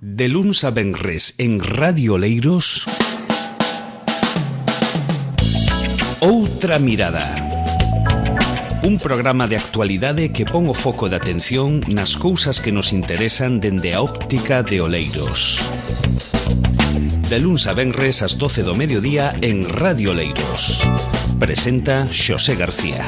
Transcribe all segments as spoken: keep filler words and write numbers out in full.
De luns a venres en Radio Oleiros, Outra Mirada. Un programa de actualidade que pon o foco de atención nas cousas que nos interesan dende a óptica de Oleiros. De luns a venres ás doce do mediodía en Radio Oleiros. Presenta Xosé García.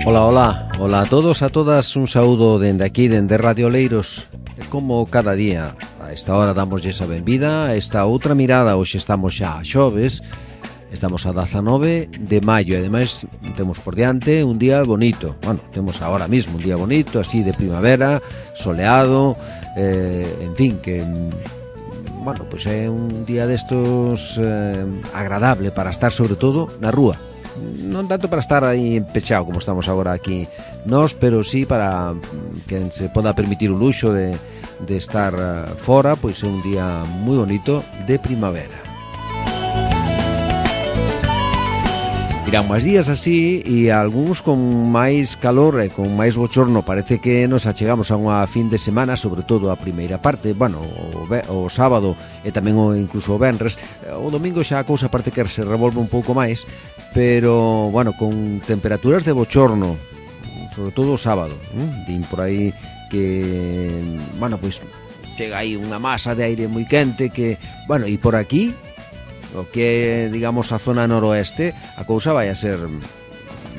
Ola, ola, ola a todos, a todas, un saúdo dende aquí, dende Radio Oleiros. E como cada día, a esta hora damos esa benvida, a esta outra mirada. Hoxe estamos xa a xoves, estamos a dezanove de maio, e ademais temos por diante un día bonito. Bueno, temos agora mismo un día bonito, así de primavera, soleado, eh, en fin, que... Bueno, pois pues é un día destos eh, agradable para estar sobre todo na rúa. Non tanto para estar aí pechado como estamos agora aquí nós, pero sí para que se poda permitir o luxo de, de estar fora, pois é un día moi bonito de primavera. Irán máis días así e algúns con máis calor e con máis bochorno. Parece que nos achegamos a unha fin de semana, sobre todo a primeira parte, bueno, o, o sábado e tamén o, incluso o venres. O domingo xa a cousa parte que se revolve un pouco máis, pero, bueno, con temperaturas de bochorno, sobre todo o sábado, ¿eh? Din por aí que, bueno, pois chega aí unha masa de aire moi quente que, bueno, e por aquí o que é, digamos, a zona noroeste, a cousa vai a ser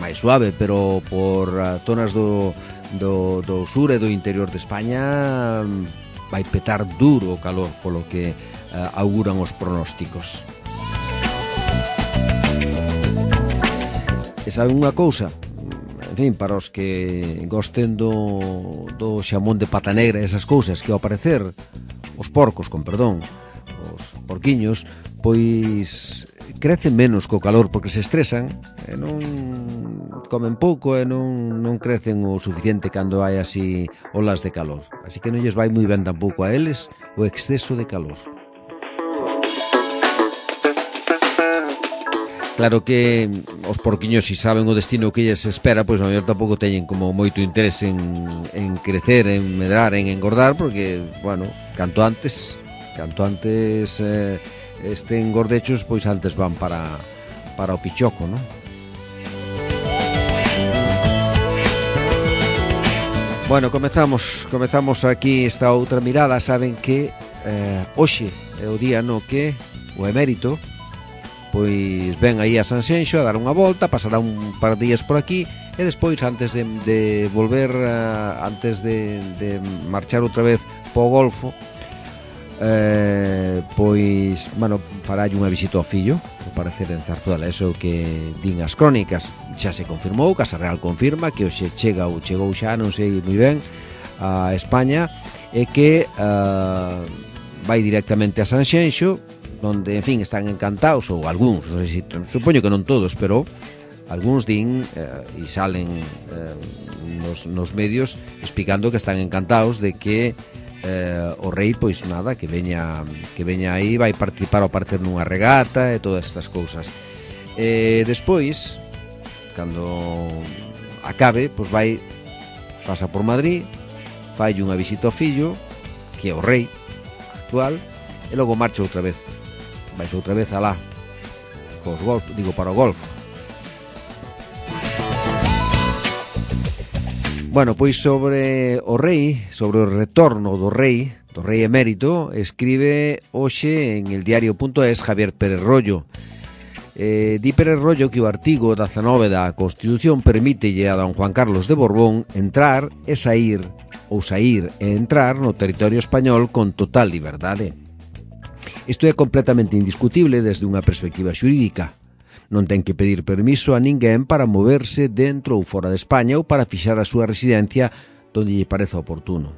máis suave, pero por zonas do, do, do sur e do interior de España vai petar duro o calor, polo que uh, auguran os pronósticos. E sabe unha cousa? En fin, para os que gosten do, do xamón de pata negra e esas cousas que ao parecer os porcos, con perdón, os porquiños, pois crecen menos co calor porque se estresan e non comen pouco e non, non crecen o suficiente cando hai así olas de calor. Así que non lles vai moi ben tampouco a eles o exceso de calor. Claro que os porquiños, si saben o destino que lles espera, pois a mellor tampouco teñen como moito interés en, en crecer, en medrar, en engordar, porque, bueno, canto antes, canto antes eh, estén gordechos, pois antes van para, para o pichoco, non? Bueno, comezamos, comezamos aquí esta outra mirada. Saben que eh, hoxe é o día no que o emérito pois ven aí a Sanxenxo a dar unha volta, pasará un par de días por aquí e despois, antes de, de volver, uh, antes de, de marchar outra vez po Golfo, eh, pois, bueno, faralle unha visita ao fillo, ao parecer en Zarzuela. Eso que din as crónicas. Xa se confirmou, Casa Real confirma que hoxe chega ou chegou xa, non sei moi ben, a España, e que uh, vai directamente a Sanxenxo, donde, en fin, están encantados, ou algúns, non sei se, supoño que non todos, pero algúns din eh, e salen eh, nos, nos medios explicando que están encantados de que eh, o rei, pois nada, que veña que veña aí, vai participar ao parecer nunha regata e todas estas cousas. E despois, cando acabe, pois vai, pasa por Madrid, fai unha visita ao fillo, que é o rei actual, e logo marcha outra vez. Vais outra vez alá cos golf, digo, para o golfo. Bueno, pois sobre o rei, sobre o retorno do rei, do rei emérito, escribe hoxe en el diario punto es Javier Pérez Rollo. Eh, di Pérez Rollo que o artigo dezanove da Constitución permítelle a don Juan Carlos de Borbón entrar e sair, ou sair e entrar no territorio español con total liberdade. Isto é completamente indiscutible desde unha perspectiva xurídica. Non ten que pedir permiso a ninguén para moverse dentro ou fora de España ou para fixar a súa residencia donde lle pareza oportuno.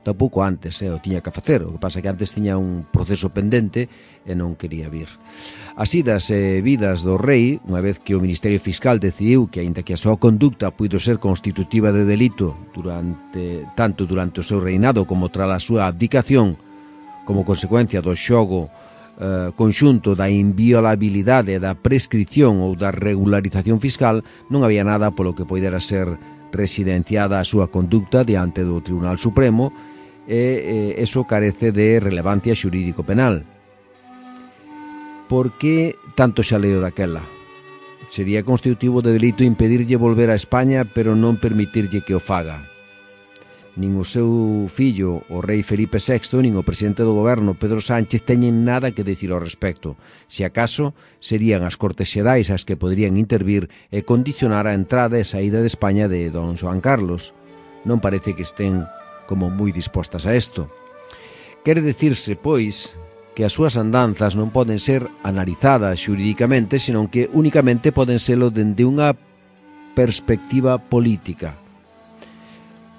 Tampouco antes, eh, o tiña que facer. O que pasa é que antes tiña un proceso pendente e non quería vir. As idas e vidas do rei, unha vez que o Ministerio Fiscal decidiu que, aínda que a súa conducta puido ser constitutiva de delito durante, tanto durante o seu reinado como tras a súa abdicación, como consecuencia do xogo eh, conxunto da inviolabilidade da prescripción ou da regularización fiscal, non había nada polo que poidera ser residenciada a súa conducta diante do Tribunal Supremo, e eh, eso carece de relevancia xurídico-penal. Por que tanto xaleo daquela? Sería constitutivo de delito impedirlle volver a España, pero non permitirlle que o faga. Nin o seu fillo, o rei Felipe sexto, nin o presidente do goberno, Pedro Sánchez, teñen nada que dicir ao respecto. Se acaso, serían as Cortes Xerais as que poderían intervir e condicionar a entrada e saída de España de don Xoán Carlos. Non parece que estén como moi dispostas a isto. Quere dicirse, pois, que as súas andanzas non poden ser analizadas xurídicamente, senón que únicamente poden selo dende unha perspectiva política.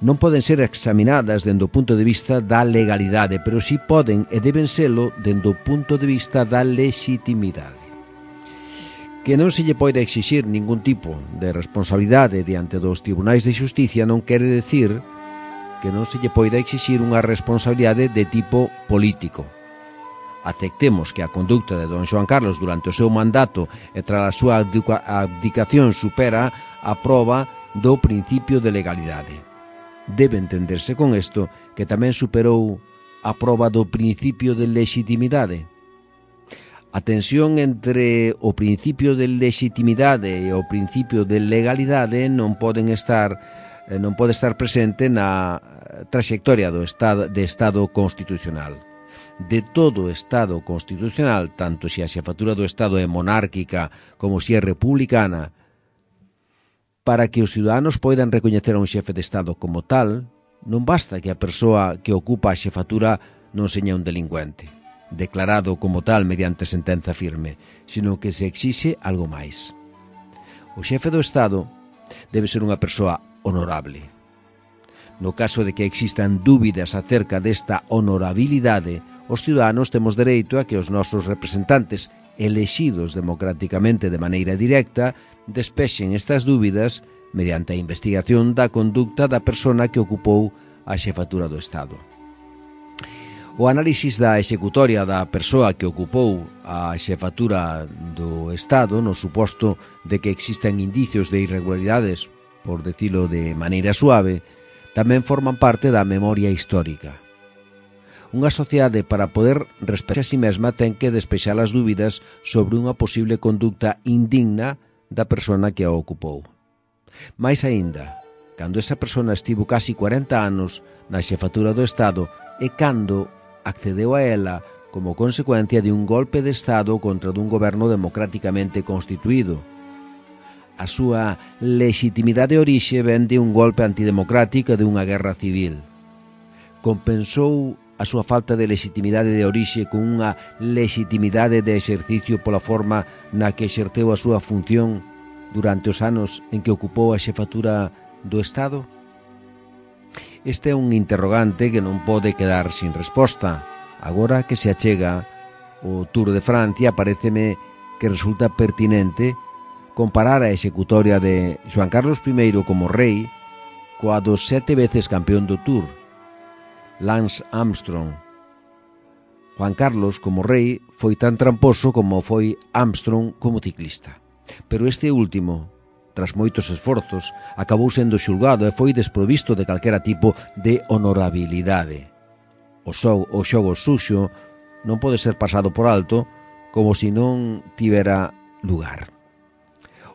Non poden ser examinadas dende o punto de vista da legalidade, pero si poden e deben selo dende o punto de vista da legitimidade. Que non se lle poida exixir ningún tipo de responsabilidade diante dos tribunais de xusticia non quere decir que non se lle poida exixir unha responsabilidade de tipo político. Aceptemos que a conducta de don Xoán Carlos durante o seu mandato e tras a súa abdicación supera a proba do principio de legalidade. Debe entenderse con isto que tamén superou a proba do principio de legitimidade. A tensión entre o principio de legitimidade e o principio de legalidade non poden estar non pode estar presente na traxectoria do estado de estado constitucional. De todo Estado constitucional, tanto se a xefatura do Estado é monárquica como se é republicana, para que os ciudadanos poidan recoñecer a un xefe de Estado como tal, non basta que a persoa que ocupa a xefatura non seña un delincuente, declarado como tal mediante sentenza firme, sino que se exixe algo máis. O xefe do Estado debe ser unha persoa honorable. No caso de que existan dúbidas acerca desta honorabilidade, os ciudadanos temos dereito a que os nosos representantes, elexidos democráticamente de maneira directa, despexen estas dúbidas mediante a investigación da conducta da persona que ocupou a xefatura do Estado. O análisis da executoria da persoa que ocupou a xefatura do Estado, no suposto de que existan indicios de irregularidades, por decilo de maneira suave, tamén forman parte da memoria histórica. Unha sociedade, para poder respectar a si mesma, ten que despexar as dúbidas sobre unha posible conducta indigna da persona que a ocupou. Mais aínda, cando esa persona estivo casi cuarenta anos na xefatura do Estado e cando accedeu a ela como consecuencia de un golpe de Estado contra dun goberno democráticamente constituído. A súa legitimidade de orixe ven de un golpe antidemocrático de unha guerra civil. Compensou a súa falta de legitimidade de orixe con unha legitimidade de exercicio pola forma na que exerceu a súa función durante os anos en que ocupou a xefatura do Estado? Este é un interrogante que non pode quedar sin resposta. Agora que se achega o Tour de Francia, paréceme que resulta pertinente comparar a executoria de Xoán Carlos primeiro como rei coa dos sete veces campeón do Tour, Lance Armstrong. Juan Carlos, como rei, foi tan tramposo como foi Armstrong como ciclista. Pero este último, tras moitos esforzos, acabou sendo xulgado e foi desprovisto de calquera tipo de honorabilidade. O, xo, o xogo suxo non pode ser pasado por alto como se non tivera lugar.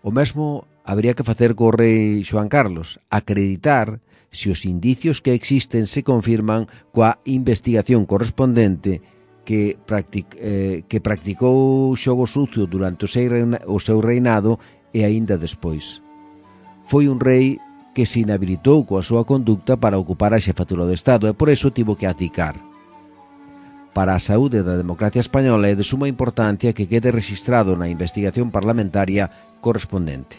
O mesmo habría que facer co rei Xoán Carlos, acreditar se os indicios que existen se confirman coa investigación correspondente que, practic, eh, que practicou xogo sucio durante o seu, reina, o seu reinado e aínda despois. Foi un rei que se inhabilitou coa súa conducta para ocupar a xefatura do Estado e por eso tivo que abdicar. Para a saúde da democracia española é de suma importancia que quede registrado na investigación parlamentaria correspondente.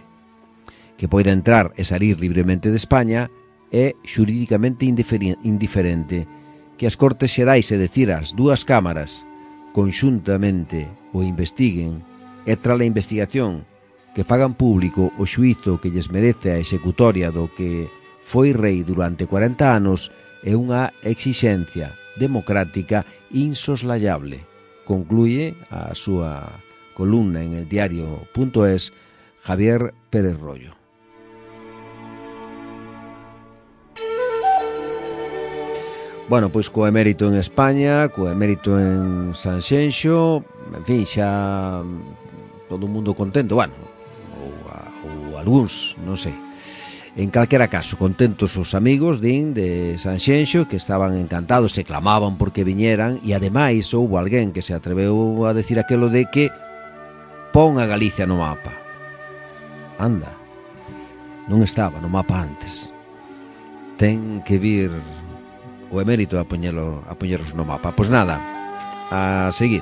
Que poida entrar e salir libremente de España é xurídicamente indiferente. Que as Cortes Xerais, é dicir, as dúas cámaras, conxuntamente o investiguen e tras a investigación que fagan público o xuízo que lles merece a executoria do que foi rei durante cuarenta anos é unha exixencia democrática insoslayable. concluye a súa columna en el diario punto es Javier Pérez Rollo. Bueno, pois co emérito en España, co emérito en Sanxenxo, en fin, xa todo o mundo contento, bueno, ou, ou algúns, non sei. En calquera caso, contentos os amigos, din, de Sanxenxo, que estaban encantados, se clamaban porque viñeran, e ademais houbo alguén que se atreveu a decir aquelo de que pon a Galicia no mapa. Anda, non estaba no mapa antes. Ten que vir o emérito a poñelo, a poñeros no mapa. Pois nada, a seguir.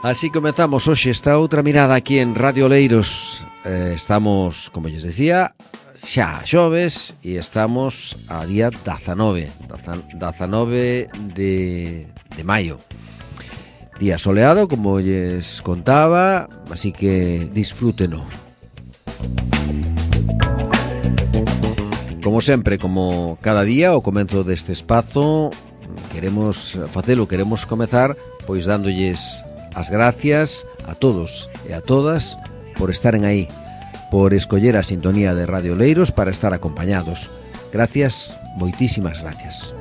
Así comezamos hoxe esta outra mirada aquí en Radio Oleiros. eh, Estamos, como lles decía, xa xoves e estamos a día dezanove dezanove de, de maio. Día soleado, como lles contaba, así que disfrúteno. Como sempre, como cada día, ao comenzo deste espazo, queremos facelo, queremos comezar pois dándolles as gracias a todos e a todas por estaren aí, por escoller a sintonía de Radio Oleiros para estar acompañados. Gracias, moitísimas gracias.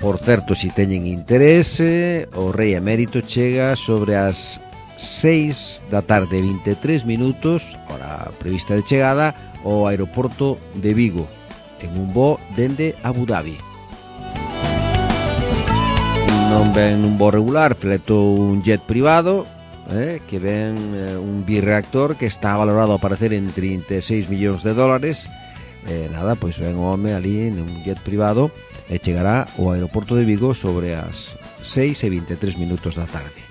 Por certo, se teñen interese, o Rei Emérito chega sobre as seis da tarde, vinte e tres minutos, hora prevista de chegada, ao aeroporto de Vigo, en un voo dende Abu Dhabi. Non ven un voo regular, fletou un jet privado, eh, que ven eh, un birreactor que está valorado a parecer en trinta e seis millóns de dólares. Eh, nada, pois ven o home ali en un jet privado e chegará ao aeroporto de Vigo sobre as seis e vinte e tres minutos da tarde.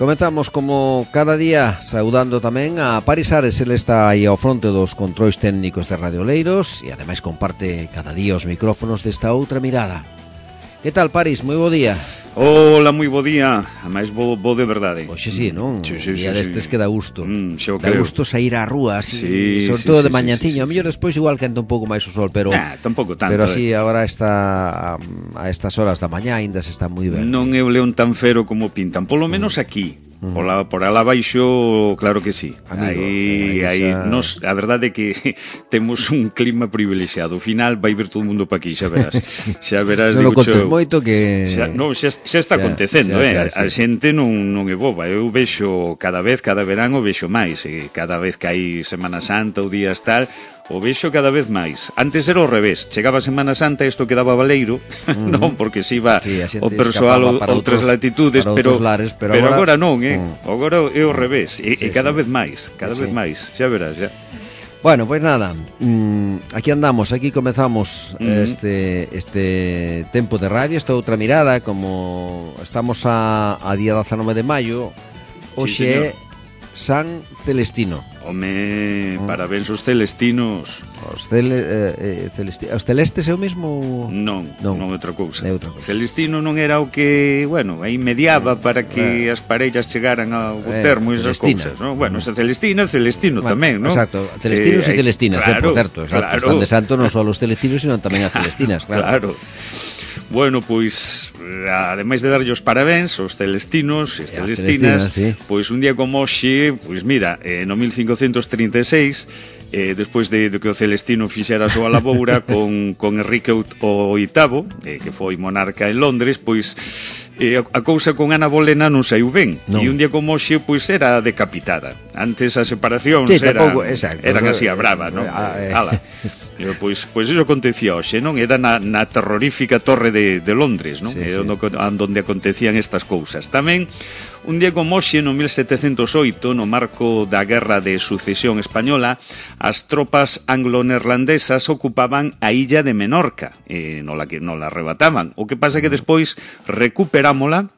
Comezamos como cada día saudando tamén a Paris Ares. Ele está aí ao fronte dos controis técnicos de Radio Oleiros e ademais comparte cada día os micrófonos desta outra mirada. Que tal, Paris? Moi bo día. Hola, moi bo día. A máis bo, bo de verdade. Oxe, sí, non? Sí, sí, día sí, destes sí. que dá gusto. Mm, dá gusto sair á rúa, así, sí, sobre sí, todo sí, de mañanciño. sí, sí, A mellor despois igual quenta un pouco máis o sol, pero nah, tampouco tanto. Pero así, eh. agora está a, a estas horas da mañá aínda se está moi ben. Non é o león tan fero como pintan, polo menos aquí. Mm. Por, la, por alá baixo, claro que sí. Amigo, aí, aí, xa... nos, a verdade é que temos un clima privilexiado. Ao final vai vir todo o mundo pa aquí, xa verás. Sí. Xa verás, non o contes xo, moito que... Xa, non, xa, xa está xa, acontecendo, xa, xa, eh? Xa, a sí. Xente non, non é boba. Eu vexo cada vez, cada verán o vexo máis. E cada vez que hai Semana Santa ou días tal, o vexo cada vez máis. Antes era ao revés. Chegaba a Semana Santa e isto quedaba baleiro, uh-huh. non? Porque se iba sí, o persoal a outras latitudes, pero, lares, pero, pero agora... agora non, eh? Uh-huh. Agora é ao revés. E, sí, e cada sí. vez máis, cada sí, vez sí. máis. Xa verás, xa. Bueno, pois pues nada, mmm, aquí andamos, aquí comezamos uh-huh. este este tempo de radio, esta outra mirada, como estamos a, a día dezanove de maio, hoxe é San Celestino. Home, mm. parabéns os celestinos. Os, cele, eh, celesti, os celestes é o mesmo? Non, non, non é outra cousa. É outra cousa. Celestino non era o que, bueno, aí mediaba para que eh, as parellas chegaran ao eh, termo e esas cousas, non? Bueno, esa Celestina, Celestino bueno, tamén, non? Exacto, celestinos eh, e celestinas, claro, eh, por certo, exacto, claro. Están de santo non só os celestinos, sino tamén as celestinas, claro. Claro. Bueno, pois, ademais de darlle os parabéns aos celestinos e celestinas, sí. Pois un día como hoxe, pois mira, eh, no mil cincocentos trinta e seis, eh, despois de, de que o Celestino fixera a súa laboura con, con Enrique o oitavo, eh, que foi monarca en Londres, pois eh, a cousa con Ana Bolena non saiu ben. No. E un día como hoxe, pois era decapitada. Antes as separacións sí, eran, tampouco, exacto, eran así a brava, non? Ah, eh. Ala. Pois, pois iso acontecía hoxe, non? Era na, na terrorífica torre de, de Londres, non? Sí, sí. Onde, onde acontecían estas cousas. Tamén, un día como hoxe, no mil setecentos oito, no marco da Guerra de Sucesión Española, as tropas anglo-neerlandesas ocupaban a illa de Menorca, e non la, non la arrebataban. O que pasa que despois recuperámola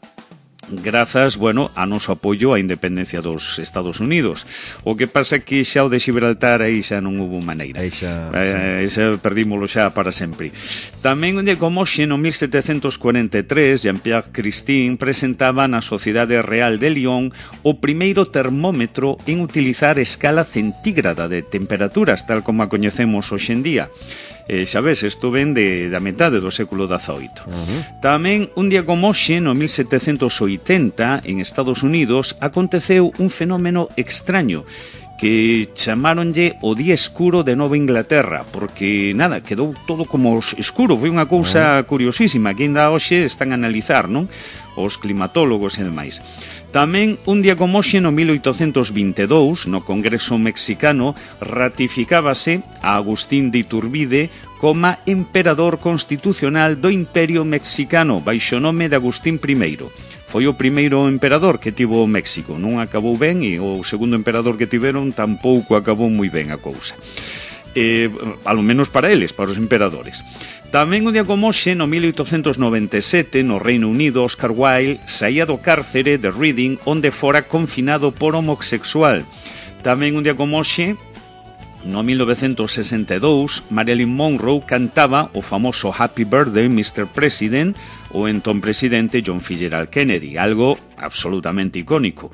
grazas, bueno, a noso apoio á independencia dos Estados Unidos. O que pasa que xa o de Gibraltar aí xa non hubo maneira. Aí xa, eh, xa perdímolo xa para sempre. Tamén un día como hoxe, no mil setecentos cuarenta e tres, Jean-Pierre Christine presentaba na Sociedade Real de Lyon o primeiro termómetro en utilizar escala centígrada de temperaturas, tal como a coñecemos hoxe en día. Eh, xa ves, isto ven de, da metade do século dezaoito. Uh-huh. Tamén, un día como hoxe, no mil setecentos oitenta, en Estados Unidos, aconteceu un fenómeno extraño que chamaronlle o día escuro de Nova Inglaterra, porque, nada, quedou todo como escuro. Foi unha cousa uh-huh. curiosísima que ainda hoxe están a analizar, non? Os climatólogos e demais. Tamén, un día como hoxe, no mil oitocentos vinte e dous, no Congreso Mexicano, ratificábase a Agustín de Iturbide como emperador constitucional do Imperio Mexicano, baixo nome de Agustín primeiro. Foi o primeiro emperador que tivo México. Non acabou ben e o segundo emperador que tiveron tampouco acabou moi ben a cousa. Eh, alo menos para eles, para os emperadores. Tamén un día como hoxe, no mil oitocentos noventa e sete, no Reino Unido, Oscar Wilde saía do cárcere de Reading, onde fora confinado por homosexual. Tamén un día como hoxe, no mil novecentos sesenta e dous, Marilyn Monroe cantaba o famoso Happy Birthday, mister President, o entón presidente John Fitzgerald Kennedy, algo absolutamente icónico.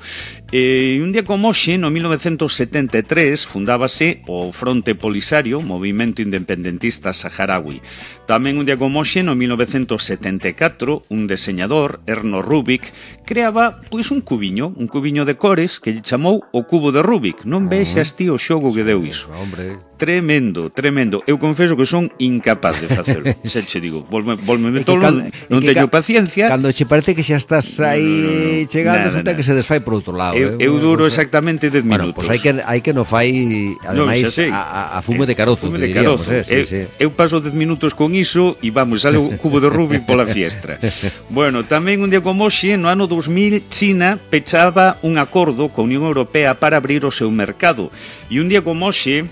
E un día como hoxe, no mil novecentos setenta e tres, fundábase o Fronte Polisario, movimento independentista saharaui. Tamén un día como hoxe, no mil novecentos setenta e catro, un deseñador, Erno Rubik, creaba, pois, un cubiño, un cubiño de cores que lle chamou o cubo de Rubik. Non vexas ti o xogo que deu iso. Hombre... Tremendo, tremendo. Eu confeso que son incapaz de facelo. Xa che digo, volme, volme tolo, cal, non teño ca, paciencia. Cando che parece que xa estás aí chegando, nada, nada. Que se desfai por outro lado. Eu, eh? eu duro bueno, exactamente dez bueno, minutos. Pois pues hai que hai que no fai ademais no, a, a fume de carozo, fume de diríamos, carozo. Eh? Sí, eu, sí. eu paso dez minutos con iso e vamos, sale o cubo de Rubik pola fiestra. Bueno, tamén un día como hoxe, no ano dos mil, China pechaba un acordo coa Unión Europea para abrir o seu mercado. E un día como hoxe,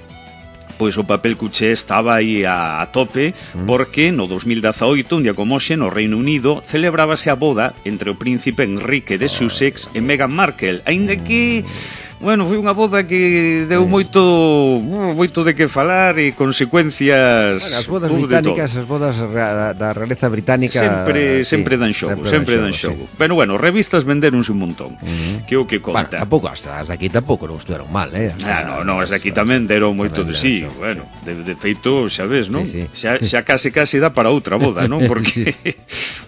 pois o papel cuché estaba aí a, a tope, porque no dos mil dezaoito, un día como hoxe, no Reino Unido, celebrábase a boda entre o príncipe Enrique de Sussex e Meghan Markle, aínda que... Bueno, foi unha boda que deu moito moito de que falar e consecuencias... Bueno, as bodas británicas, as bodas da realeza británica... Sempre, sí, sempre dan xogo, sempre, sempre dan xogo. Sí. Pero bueno, revistas venderonse un montón, uh-huh. que o que conta. Bueno, tampouco, as, as de aquí tampouco non estuveron mal, eh? Ah, no, no, as de aquí tamén deron moito de sí. Xogo, bueno, de, de feito, xa ves, non? Sí, sí. Xa, xa case case dá para outra boda, non? Porque, sí.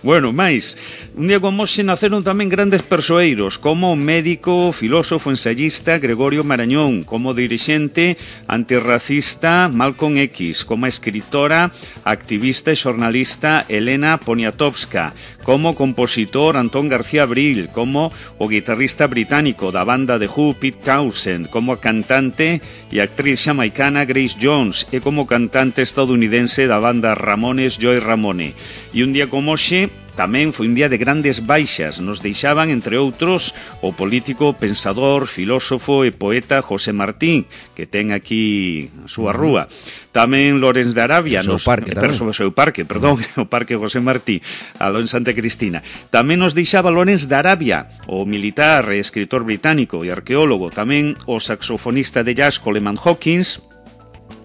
Bueno, máis, un día como hoxe naceron tamén grandes persoeiros, como médico, filósofo, ensayista, Gregorio Marañón, como dirixente antirracista Malcolm X, como escritora, activista e xornalista Elena Poniatowska, como compositor Antón García Abril, como o guitarrista británico da banda The Who Pete Townshend, como cantante e actriz xamaicana Grace Jones e como cantante estadounidense da banda Ramones Joy Ramone. E un día como hoxe tamén foi un día de grandes baixas. Nos deixaban, entre outros, o político, pensador, filósofo e poeta José Martín, que ten aquí a súa rúa. Tamén Lorenz de Arabia, o seu parque, nos, o seu parque, perdón, o parque José Martí, aló en Santa Cristina. Tamén nos deixaba Lorenz de Arabia, o militar e escritor británico e arqueólogo. Tamén o saxofonista de jazz Coleman Hawkins.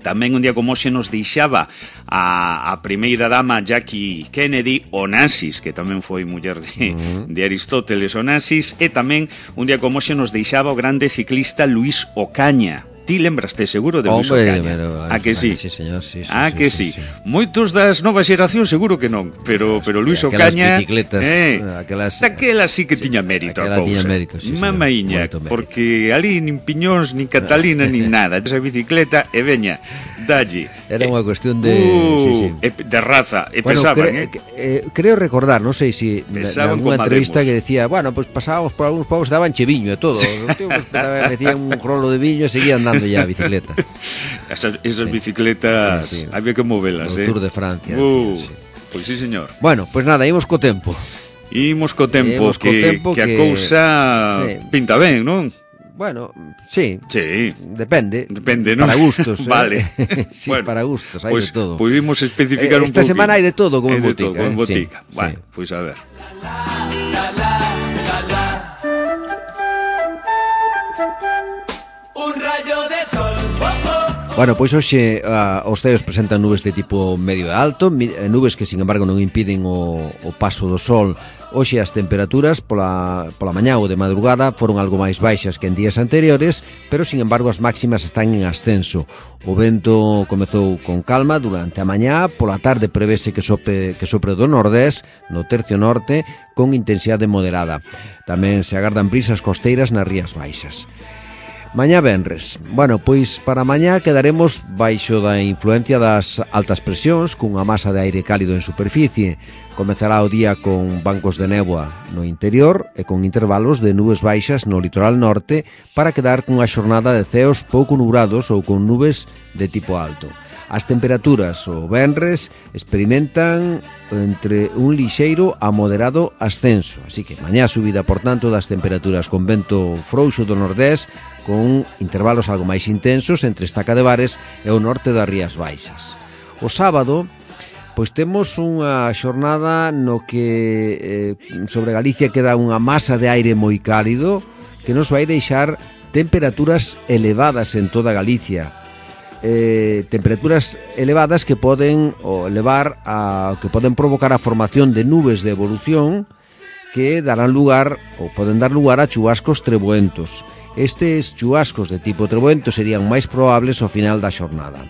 Tamén un día como hoxe nos deixaba a, a primeira dama Jackie Kennedy, Onassis, que tamén foi muller de, uh-huh. de Aristóteles Onassis, e tamén un día como hoxe nos deixaba o grande ciclista Luis Ocaña. Ti lembraste seguro de Luis Ocaña? Pero, a que sí? Sí, señor, sí, sí, a sí, que sí, sí, sí. Moitos das novas xeracións seguro que non, pero pero Luis Ocaña, eh, aquelas aquelas sí que sí, tiña mérito a cousa. Tiña mérito, sí, Mamaíña, porque ali nin piñóns, nin Catalina, nin nada. Esa bicicleta e veña, dalle. Era unha cuestión de uh, sí, sí. de raza, e bueno, pesaban, cre, eh? eh creo recordar, non sei se si en alguna entrevista que decía, bueno, pues pasábamos por algúns povos, daban che viño e todo. Os tíos metían un rolo de viño e seguían dando ya a bicicleta. Esas, esas sí. bicicletas sí, sí. había que movelas, eh? O Tour de Francia. Uh, sí, sí. Pois sí, señor. Bueno, pois pues nada, imos co tempo. Imos co tempo, imos que, co tempo que, que a cousa sí. pinta ben, non? Bueno, sí. Sí. Depende. Depende, ¿no? Para gustos. Vale. Eh? sí, bueno, para gustos, hai pues, de todo. Pois pues imos especificar eh, un pouco. Esta semana hai de todo como en botica. Todo, como en eh? botica. Sí, bueno, sí. pois pues a ver. Bueno, pois hoxe uh, os ceos presentan nubes de tipo medio e alto, nubes que, sin embargo, non impiden o, o paso do sol. Hoxe as temperaturas pola, pola mañá ou de madrugada foron algo máis baixas que en días anteriores, pero, sin embargo, as máximas están en ascenso. O vento comezou con calma durante a mañá, pola tarde prevese que sopre, que sopre do nordés, no tercio norte, con intensidade moderada. Tamén se agardan brisas costeiras nas rías baixas. Mañá venres. Bueno, pois para mañá quedaremos baixo da influencia das altas presións, cunha masa de aire cálido en superficie. Comezará o día con bancos de néboa no interior e con intervalos de nubes baixas no litoral norte para quedar cunha xornada de ceos pouco nubrados ou con nubes de tipo alto. As temperaturas o venres experimentan entre un lixeiro a moderado ascenso, así que mañá subida, por tanto, das temperaturas con vento frouxo do nordés, con intervalos algo máis intensos entre Estaca de Bares e o norte das Rías Baixas. O sábado, pois temos unha xornada no que eh, sobre Galicia queda unha masa de aire moi cálido que nos vai deixar temperaturas elevadas en toda Galicia. Eh, temperaturas elevadas que poden o levar a que poden provocar a formación de nubes de evolución que darán lugar ou poden dar lugar a chubascos treboentos. Estes chubascos de tipo treboento serían máis probables ao final da xornada.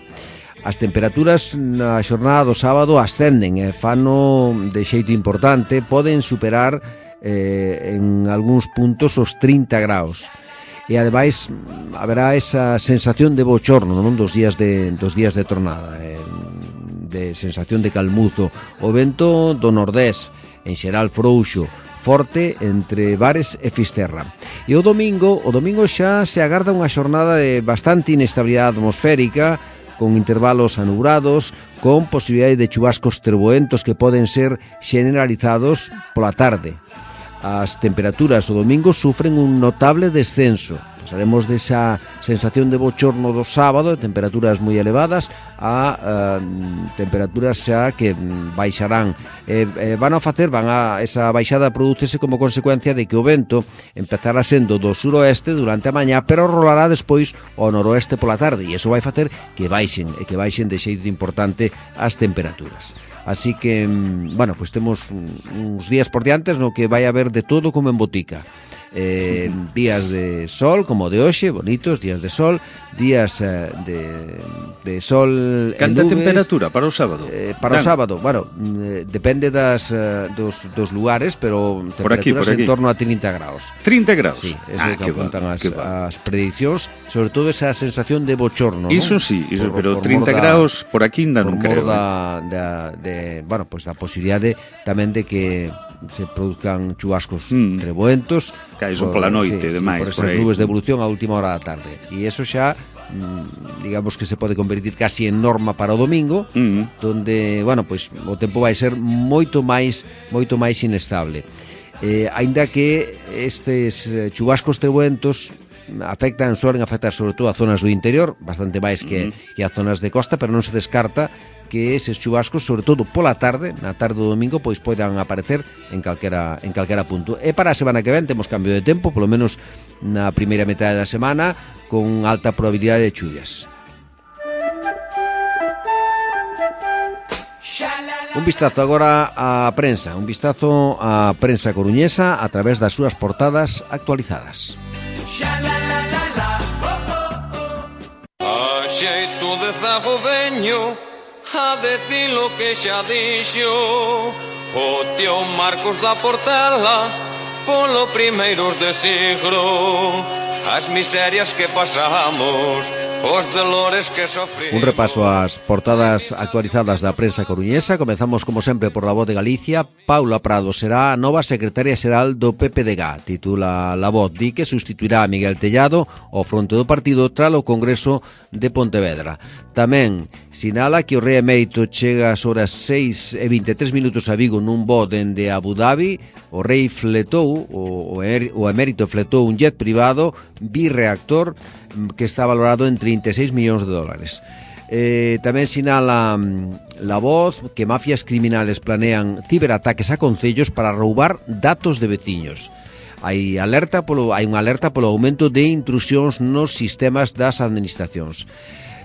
As temperaturas na xornada do sábado ascenden e fano de xeito importante, poden superar eh, en algúns puntos os trinta graus. E ademais haberá esa sensación de bochorno, non, dos días de dos días de tronada, eh, de sensación de calmuzo. O vento do nordés, en xeral frouxo, forte entre Bares e Fisterra. E o domingo, o domingo xa se agarda unha xornada de bastante inestabilidade atmosférica, con intervalos anubrados, con posibilidade de chubascos treboentos que poden ser generalizados pola tarde. As temperaturas o domingo sufren un notable descenso. Pasaremos desa sensación de bochorno do sábado, de temperaturas moi elevadas, a uh, temperaturas xa que baixarán. Eh, eh, van a facer, van a, esa baixada prodúcese como consecuencia de que o vento empezará sendo do suroeste durante a mañá, pero rolará despois ao noroeste pola tarde, e iso vai facer que baixen, e que baixen de xeito importante as temperaturas. Así que, bueno, pues temos uns días por diantes no que vai haber de todo como en botica. Eh, días de sol, como de hoxe, bonitos, días de sol, días eh, de, de sol e Canta nubes. Temperatura para o sábado? Eh, para Dan. o sábado, bueno, eh, depende das, uh, dos, dos lugares, pero temperaturas por aquí, por aquí. En torno a trinta graus. trinta graus? Sí, eso ah, é que apuntan va, as, as prediccións, sobre todo esa sensación de bochorno, Iso ¿no? sí, iso, por, pero por trinta graus por aquí ainda non creo. Por da, da, de, bueno, pues da posibilidade tamén de que se produzcan chubascos mm. treboentos, caíson pola noite sí, e demais, sí, por esas por nubes de evolución a última hora da tarde. E eso xa digamos que se pode convertir casi en norma para o domingo, mm. donde, bueno, pois pues, o tempo vai ser moito máis moito máis inestable. Eh, aínda que estes chubascos treboentos afectan, suelen afectar sobre todo a zonas do interior, bastante máis que, mm. que a zonas de costa, pero non se descarta que eses chubascos, sobre todo pola tarde, na tarde do domingo, pois poidan aparecer en calquera, en calquera punto. E para a semana que ven temos cambio de tempo, polo menos na primeira metade da semana, con alta probabilidade de chuvias. Un vistazo agora á prensa, un vistazo á prensa coruñesa a través das súas portadas actualizadas. A xeito de zago veño a decir lo que xa dixo o tío Marcos da Portela polo primeiros de siglo, as miserias que pasamos, os dolores que sofrimos. Un repaso ás portadas actualizadas da prensa coruñesa. Comezamos como sempre por La Voz de Galicia. Paula Prado será a nova secretaria xeral do P P D G. Titula La Voz, di que sustituirá a Miguel Tellado ao fronte do partido tralo Congreso de Pontevedra. Tamén sinala que o rei emérito chega ás horas seis e vinte e tres minutos a Vigo nun voo dende Abu Dhabi. O rei fletou, o, o emérito fletou un jet privado birreactor que está valorado en trinta e seis millóns de dólares. Eh, tamén sinala La Voz que mafias criminales planean ciberataques a concellos para roubar datos de veciños. Hai alerta polo hai unha alerta polo aumento de intrusións nos sistemas das administracións.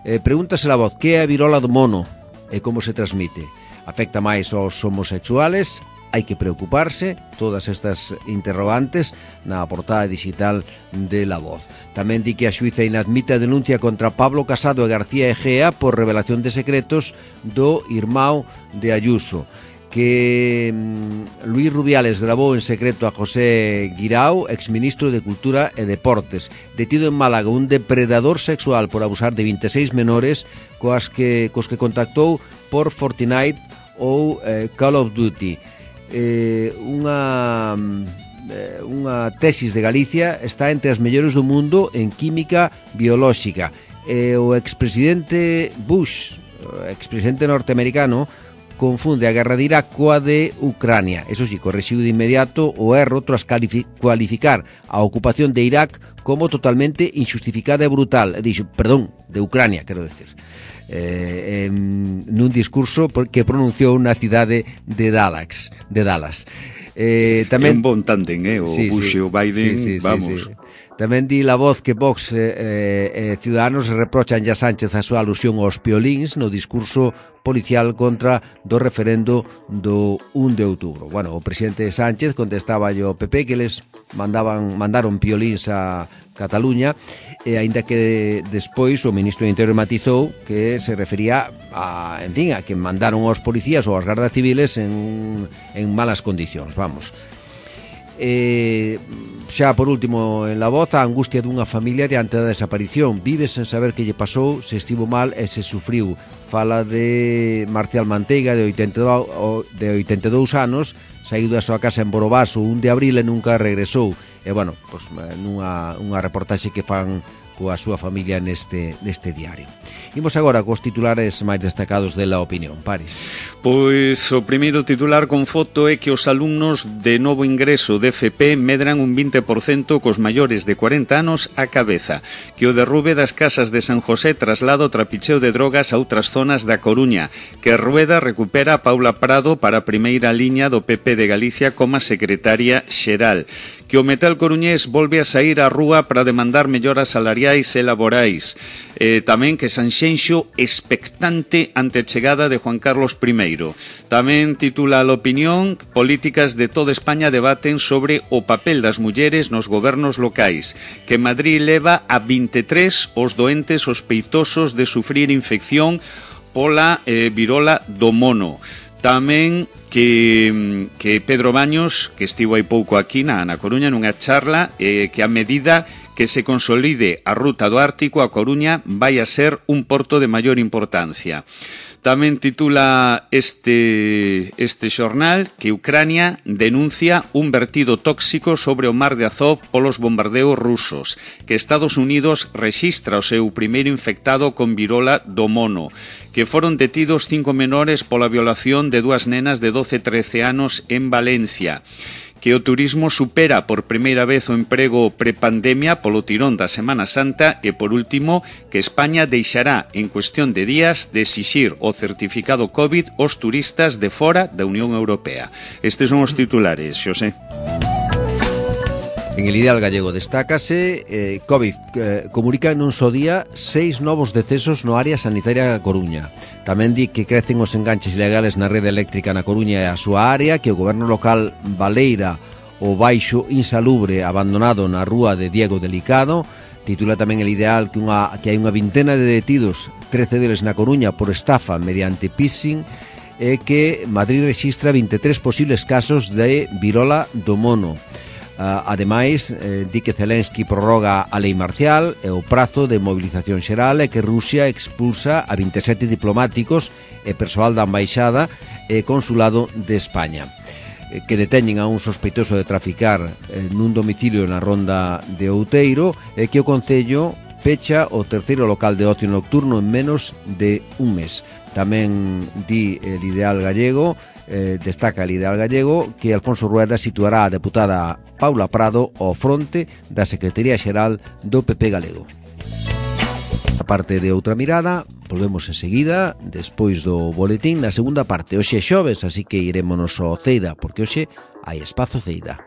Eh, pregúntase a voz, que é a virola do mono e como se transmite? Afecta máis aos homosexuales? Hai que preocuparse, todas estas interrogantes na portada digital de La Voz. Tamén di que a xuíza inadmite a denuncia contra Pablo Casado e García Egea por revelación de secretos do irmão de Ayuso, que mm, Luis Rubiales grabou en secreto a José Guirao, exministro de Cultura e Deportes, detido en Málaga un depredador sexual por abusar de vinte e seis menores coas que, cos que contactou por Fortnite ou eh, Call of Duty. Eh, unha unha tesis de Galicia está entre as mellores do mundo en química biolóxica. E o expresidente Bush, o expresidente norteamericano, confunde a guerra de Irak coa de Ucrania. Eso sí, corrixiu de inmediato o erro tras cualificar a ocupación de Irak como totalmente injustificada e brutal. Dixo, perdón, de Ucrania, quero decir. Eh, eh, nun discurso que pronunciou na cidade de Dallas, de Dallas. Eh, tamén, é un bon tándem, eh, o sí, Bush e sí, o Biden, sí, sí, vamos. Sí, sí. Tamén di La Voz que Vox e eh, eh, Ciudadanos reprochan a Sánchez a súa alusión aos piolíns no discurso policial contra do referendo do un de outubro. Bueno, o presidente Sánchez contestaba ao P P que les mandaban mandaron piolíns a Cataluña, e aínda que despois o ministro do Interior matizou que se refería a, en fin, a que mandaron aos policías ou aos gardas civiles en, en malas condicións, vamos. Eh, xa por último en La Voz, a angustia dunha familia diante da desaparición, vive sen saber que lle pasou, se estivo mal e se sufriu. Fala de Marcial Manteiga, de oitenta e dous anos, saído da súa casa en Borobaso un de abril e nunca regresou. E, bueno, pues, nunha unha reportaxe que fan coa súa familia neste, neste diario. Imos agora cos titulares máis destacados de La Opinión. Paris. Pois o primeiro titular con foto é que os alumnos de novo ingreso de F P medran un vinte por cento cos maiores de cuarenta anos á cabeza, que o derrube das casas de San José traslado o trapicheo de drogas a outras zonas da Coruña, que Rueda recupera a Paula Prado para a primeira liña do P P de Galicia como secretaria xeral, que o metal coruñés volve a saír á rúa para demandar melloras salariais e laborais. Eh, tamén que Sanxenxo expectante ante a chegada de Juan Carlos primeiro. Tamén titula a Opinión, políticas de toda España debaten sobre o papel das mulleres nos gobernos locais, que Madrid leva a vinte e tres os doentes sospeitosos de sufrir infección pola eh, virola do mono. Tamén que, que Pedro Baños, que estivo hai pouco aquí na, na Coruña nunha charla, eh, que a medida que se consolide a ruta do Ártico, a Coruña vai a ser un porto de maior importancia. Tamén titula este, este xornal que Ucrania denuncia un vertido tóxico sobre o mar de Azov polos bombardeos rusos, que Estados Unidos rexistra o seu primeiro infectado con virola do mono, que foron detidos cinco menores pola violación de dúas nenas de doce e trece anos en Valencia, que o turismo supera por primeira vez o emprego prepandemia polo tirón da Semana Santa e, por último, que España deixará en cuestión de días de exixir o certificado COVID aos turistas de fora da Unión Europea. Estes son os titulares, Xosé. En El Ideal Gallego destácase eh, COVID eh, comunica nun só día seis novos decesos no área sanitaria da Coruña. Tamén di que crecen os enganches ilegales na rede eléctrica na Coruña e a súa área, que o goberno local baleira o baixo insalubre abandonado na rúa de Diego Delicado. Titula tamén El Ideal que, unha, que hai unha vintena de detidos, trece deles na Coruña por estafa mediante phishing, e que Madrid rexistra vinte e tres posibles casos de virola do mono. Uh, ademais, eh, di que Zelensky prorroga a lei marcial e o prazo de movilización xeral, e que Rusia expulsa a vinte e sete diplomáticos e persoal da embaixada e consulado de España, eh, que deteñen a un sospeitoso de traficar eh, nun domicilio na Ronda de Outeiro, e que o Concello pecha o terceiro local de ocio nocturno en menos de un mes. Tamén di El Ideal Gallego, eh, destaca El Ideal Gallego, que Alfonso Rueda situará a deputada Paula Prado ao fronte da Secretaría Xeral do P P galego. A parte de Outra Mirada, volvemos enseguida, despois do boletín, na segunda parte. Hoxe é xoves, así que irémonos ao Ceida, porque hoxe hai espazo Ceida.